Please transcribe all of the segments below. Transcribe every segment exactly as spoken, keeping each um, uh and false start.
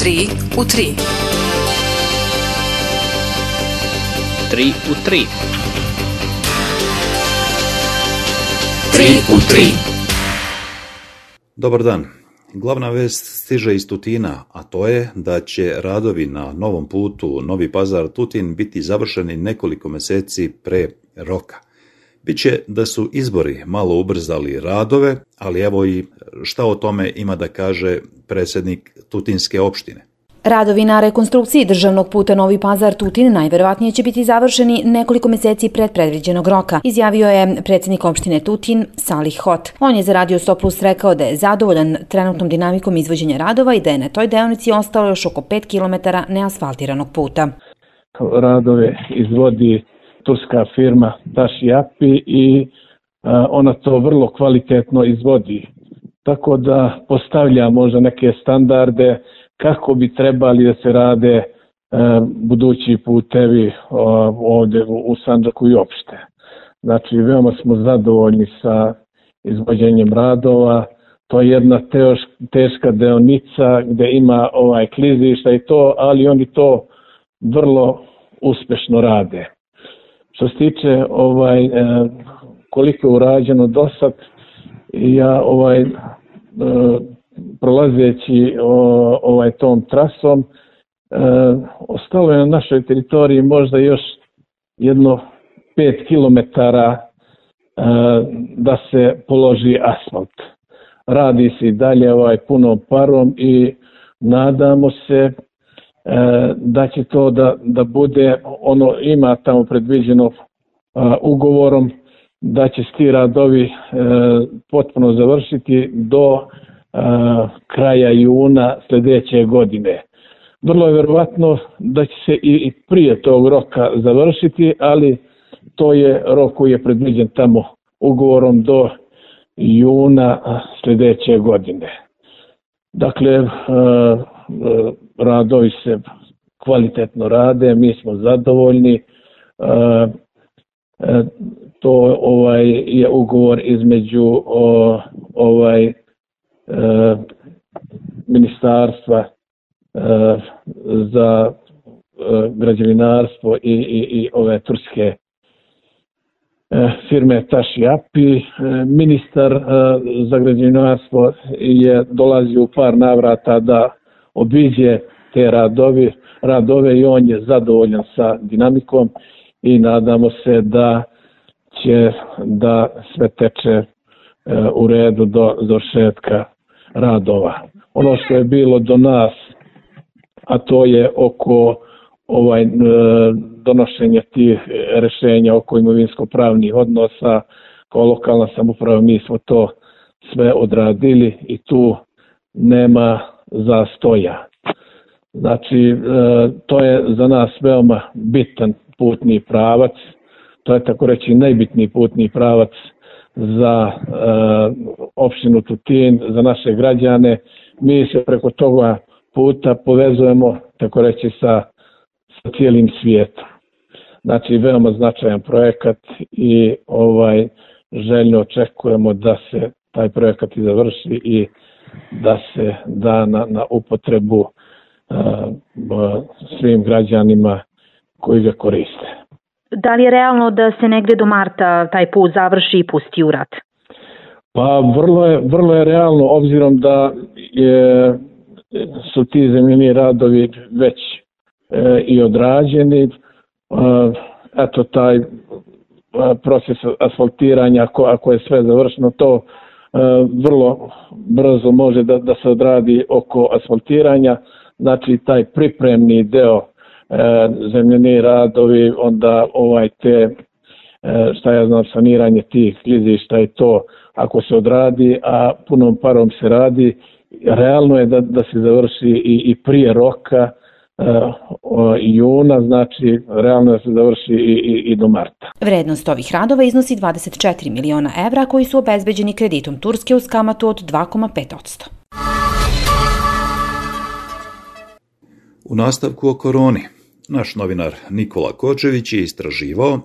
tri u tri. tri u tri. tri u tri. Dobar dan. Glavna vest stiže iz Tutina, a to je da će radovi na novom putu Novi Pazar-Tutin biti završeni nekoliko mjeseci pre roka. Biće da su izbori malo ubrzali radove, ali evo i šta o tome ima da kaže predsjednik Tutinske opštine. Radovi na rekonstrukciji državnog puta Novi Pazar-Tutin najverovatnije će biti završeni nekoliko mjeseci pred predviđenog roka, izjavio je predsjednik opštine Tutin Salih Hot. On je za Radio sto plus rekao da je zadovoljan trenutnom dinamikom izvođenja radova i da je na toj deonici ostalo još oko pet kilometara neasfaltiranog puta. Radove izvodi turska firma Taši Api i a, ona to vrlo kvalitetno izvodi. Tako da postavlja možda neke standarde kako bi trebali da se rade e, budući putevi o, ovdje u, u Sandžaku i opšte. Znači, veoma smo zadovoljni sa izvođenjem radova. To je jedna teoš, teška deonica gdje ima ovaj klizišta i to, ali oni to vrlo uspješno rade. Što se tiče ovaj, e, koliko je urađeno do sad, ja ovaj e, prolazeći o, ovaj tom trasom, e, ostalo je na našoj teritoriji možda još jedno pet kilometara e, da se položi asfalt. Radi se i dalje ovaj punom parom i nadamo se e, da će to da, da bude, ono ima tamo predviđeno a, ugovorom, da će ti radovi e, potpuno završiti do a, kraja juna sljedeće godine. Vrlo je vjerovatno da će se i, i prije tog roka završiti, ali to je rok koji je predviđen tamo ugovorom do juna sljedeće godine. Dakle, a, a, radovi se kvalitetno rade, mi smo zadovoljni. A, a, to ovaj je ugovor između o, ovaj E, ministarstva e, za e, građevinarstvo i, i, i ove turske e, firme Taši Api. E, ministar e, za građevinarstvo je dolazio u par navrata da obiđe te radovi, radove i on je zadovoljan sa dinamikom i nadamo se da će da sve teče e, u redu do završetka radova. Ono što je bilo do nas, a to je oko ovaj donošenja tih rješenja oko imovinsko-pravnih odnosa, kao lokalna samouprava mi smo to sve odradili i tu nema zastoja. Znači, to je za nas veoma bitan putni pravac, to je tako reći najbitniji putni pravac za e, opštinu Tutin, za naše građane. Mi se preko toga puta povezujemo, tako reći, sa, sa cijelim svijetom. Znači, veoma značajan projekat i ovaj željno očekujemo da se taj projekat i završi i da se da na, na upotrebu e, svim građanima koji ga koriste. Da li je realno da se negdje do marta taj put završi i pusti u rad? Pa vrlo je, vrlo je realno, obzirom da je, su ti zemljeni radovi već e, i odrađeni. E, eto taj e, proces asfaltiranja, ako, ako je sve završeno, to e, vrlo brzo može da, da se odradi oko asfaltiranja. Znači taj pripremni deo E, zemljeni radovi, onda ovaj te, e, šta ja znam, saniranje tih klizišta i to, ako se odradi, a punom parom se radi, realno je da, da se završi i, i prije roka e, o, juna, znači realno je da se završi i, i, i do marta. Vrednost ovih radova iznosi dvadeset četiri miliona evra koji su obezbeđeni kreditom Turske uz kamatu od dva zarez pet posto. U nastavku o koroni, naš novinar Nikola Kočević je istraživao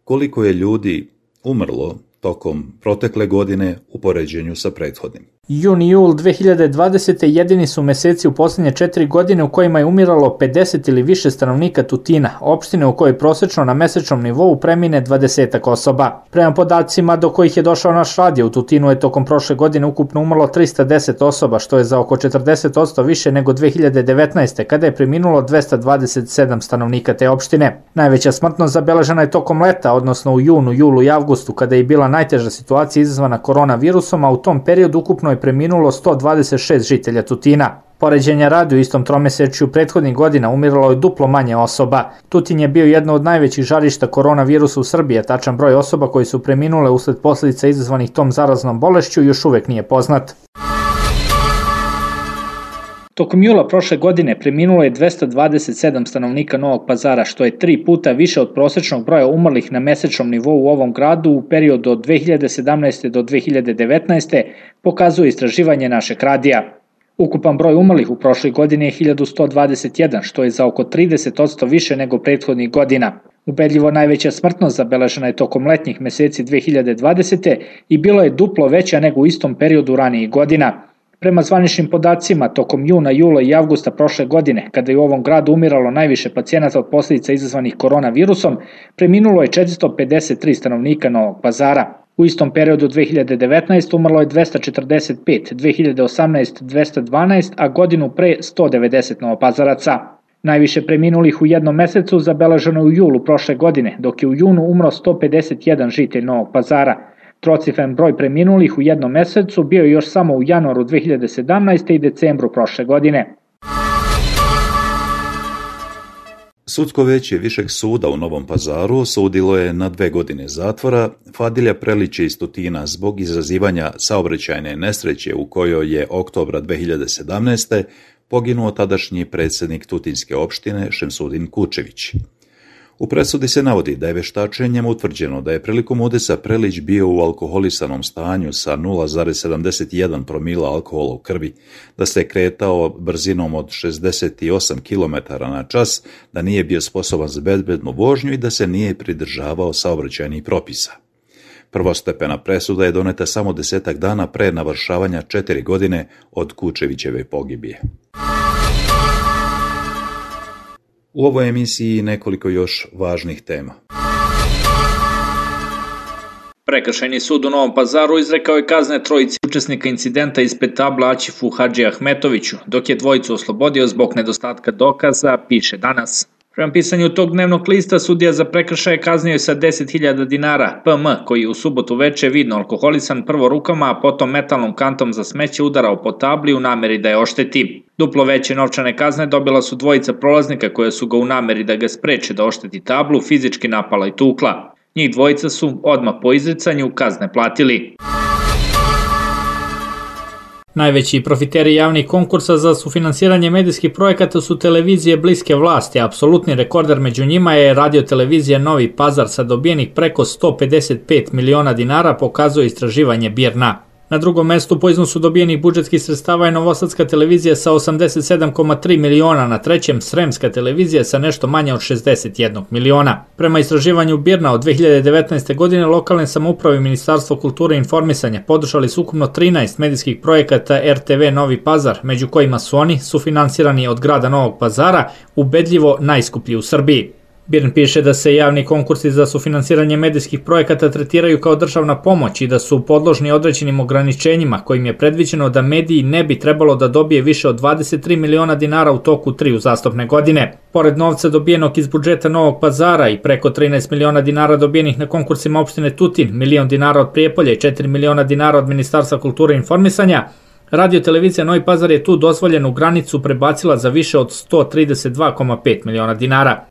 koliko je ljudi umrlo tokom protekle godine u poređenju sa prethodnim. Jun i jul dve hiljade dvadesete. jedini su meseci u posljednje četiri godine u kojima je umiralo pedeset ili više stanovnika Tutina, opštine u kojoj prosečno na mesečnom nivou premine dvadesetak osoba. Prema podacima do kojih je došao naš radio, u Tutinu je tokom prošle godine ukupno umrlo trista deset osoba, što je za oko četrdeset posto više nego dve hiljade devetnaeste. kada je preminulo dvesta dvadeset sedam stanovnika te opštine. Najveća smrtnost zabeležena je tokom leta, odnosno u junu, julu i avgustu, kada je bila najteža situacija izazvana koronavirusom, a u tom periodu ukupno je preminulo sto dvadeset šest žitelja Tutina. Poređenja radi, u istom tromesečju prethodnih godina umiralo je duplo manje osoba. Tutin je bio jedno od najvećih žarišta koronavirusa u Srbiji, a tačan broj osoba koji su preminule usled posljedica izazvanih tom zaraznom bolešću još uvek nije poznat. Tokom jula prošle godine preminulo je dvesta dvadeset sedam stanovnika Novog Pazara, što je tri puta više od prosečnog broja umrlih na mesečnom nivou u ovom gradu u periodu od dve hiljade sedamnaeste. do dve hiljade devetnaeste. pokazuje istraživanje našeg radija. Ukupan broj umrlih u prošloj godini je hiljadu sto dvadeset jedan, što je za oko trideset posto više nego prethodnih godina. Ubedljivo najveća smrtnost zabeležena je tokom letnjih meseci dve hiljade dvadesete. i bilo je duplo veća nego u istom periodu ranijih godina. Prema zvaničnim podacima, tokom juna, jula i avgusta prošle godine, kada je u ovom gradu umiralo najviše pacijenata od posljedica izazvanih koronavirusom, preminulo je četiristo pedeset tri stanovnika Novog Pazara. U istom periodu dve hiljade devetnaeste. umrlo je dvesta četrdeset pet, dve hiljade osamnaeste. dvesta dvanaest, a godinu pre sto devedeset Novopazaraca. Najviše preminulih u jednom mesecu zabeleženo je u julu prošle godine, dok je u junu umro sto pedeset jedan žitelj Novog Pazara. Trocifren broj preminulih u jednom mesecu bio je još samo u januaru dve hiljade sedamnaeste. i decembru prošle godine. Sudsko veće Višeg suda u Novom Pazaru osudilo je na dve godine zatvora Fadilja Prelića iz Tutina zbog izazivanja saobraćajne nesreće u kojoj je oktobra dve hiljade sedamnaeste. poginuo tadašnji predsjednik Tutinske opštine Šemsudin Kučević. U presudi se navodi da je veštačenjem utvrđeno da je prilikom udesa Prelić bio u alkoholisanom stanju sa nula zarez sedamdeset jedan promila alkohola u krvi, da se kretao brzinom od šezdeset osam kilometara na čas, da nije bio sposoban za bezbednu vožnju i da se nije pridržavao saobraćajnih propisa. Prvostepena presuda je doneta samo desetak dana pre navršavanja četiri godine od Kučevićeve pogibije. U ovoj emisiji nekoliko još važnih tema. Prekršajni sud u Novom Pazaru izrekao je kazne trojici učesnika incidenta ispred tabla Aćifu Hadži Ahmetoviću, dok je dvojicu oslobodio zbog nedostatka dokaza, piše Danas. Prema pisanju tog dnevnog lista, sudija za prekršaje kaznio je sa deset hiljada dinara P M, koji je u subotu veče vidno alkoholisan prvo rukama, a potom metalnom kantom za smeće udarao po tabli u nameri da je ošteti. Duplo veće novčane kazne dobila su dvojica prolaznika koja su ga u nameri da ga spreče da ošteti tablu fizički napala i tukla. Njih dvojica su odmah po izricanju kazne platili. Najveći profiteri javnih konkursa za sufinansiranje medijskih projekata su televizije bliske vlasti, a apsolutni rekorder među njima je radiotelevizija Novi Pazar sa dobijenih preko sto pedeset pet miliona dinara, pokazuje istraživanje Birna. Na drugom mestu po iznosu dobijenih budžetskih sredstava je Novosadska televizija sa osamdeset sedam zarez tri miliona, na trećem Sremska televizija sa nešto manje od šezdeset jedan miliona. Prema istraživanju Birna od dve hiljade devetnaeste. godine lokalne samouprave i Ministarstvo kulture i informisanja podržali su ukupno trinaest medijskih projekata R T V Novi Pazar, među kojima su oni sufinansirani od grada Novog Pazara, ubedljivo najskuplji u Srbiji. Birn piše da se javni konkursi za sufinansiranje medijskih projekata tretiraju kao državna pomoć i da su podložni određenim ograničenjima kojim je predviđeno da mediji ne bi trebalo da dobije više od dvadeset tri miliona dinara u toku tri uzastopne godine. Pored novca dobijenog iz budžeta Novog Pazara i preko trinaest miliona dinara dobijenih na konkursima opštine Tutin, milion dinara od Prijepolja i četiri miliona dinara od Ministarstva kulture i informisanja, radiotelevizija Novi Pazar je tu dozvoljenu granicu prebacila za više od sto trideset dva zarez pet miliona dinara.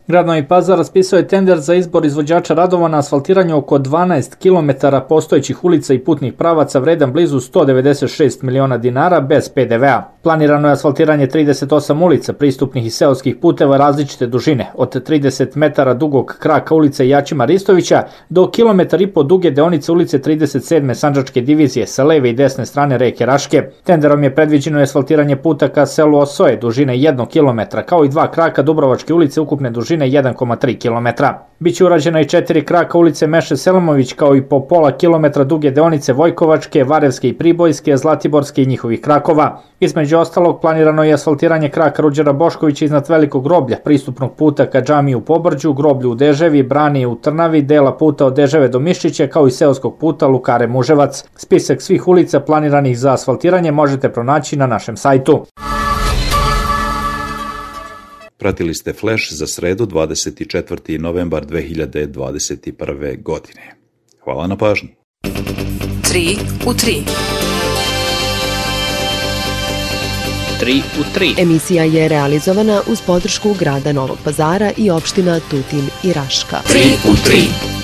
Grad Novi Pazar raspisao je tender za izbor izvođača radova na asfaltiranju oko dvanaest kilometara postojećih ulica i putnih pravaca vredan blizu sto devedeset šest miliona dinara bez P D V a. Planirano je asfaltiranje trideset osam ulica, pristupnih i seoskih puteva različite dužine, od trideset metara dugog kraka ulice Jačima Ristovića do kilometar i po duge deonice ulice trideset sedme Sandžačke divizije sa leve i desne strane reke Raške. Tenderom je predviđeno asfaltiranje puta ka selu Osoje dužine jednog kilometra, kao i dva kraka Dubrovačke ulice ukupne dužine jedan zarez tri kilometra. Biće urađena i četiri kraka ulice Meše Selimović, kao i po pola kilometra duge deonice Vojkovačke, Varevske i Pribojske, Zlatiborske i njihovih krakova. Između ostalog, planirano je asfaltiranje kraka Ruđera Boškovića iznad Velikog groblja, pristupnog puta ka džamiji u Pobrđu, groblju u Deževi, brani u Trnavi, dela puta od Deževe do Miščića, kao i seoskog puta Lukare Muževac. Spisak svih ulica planiranih za asfaltiranje možete pronaći na našem sajtu. Pratili ste Flash za sredu dvadeset četvrti novembar dve hiljade dvadeset prve. godine. Hvala na pažnji. tri u tri. tri u tri. Emisija je realizovana uz podršku grada Novog Pazara i opština Tutin i Raška. tri u tri.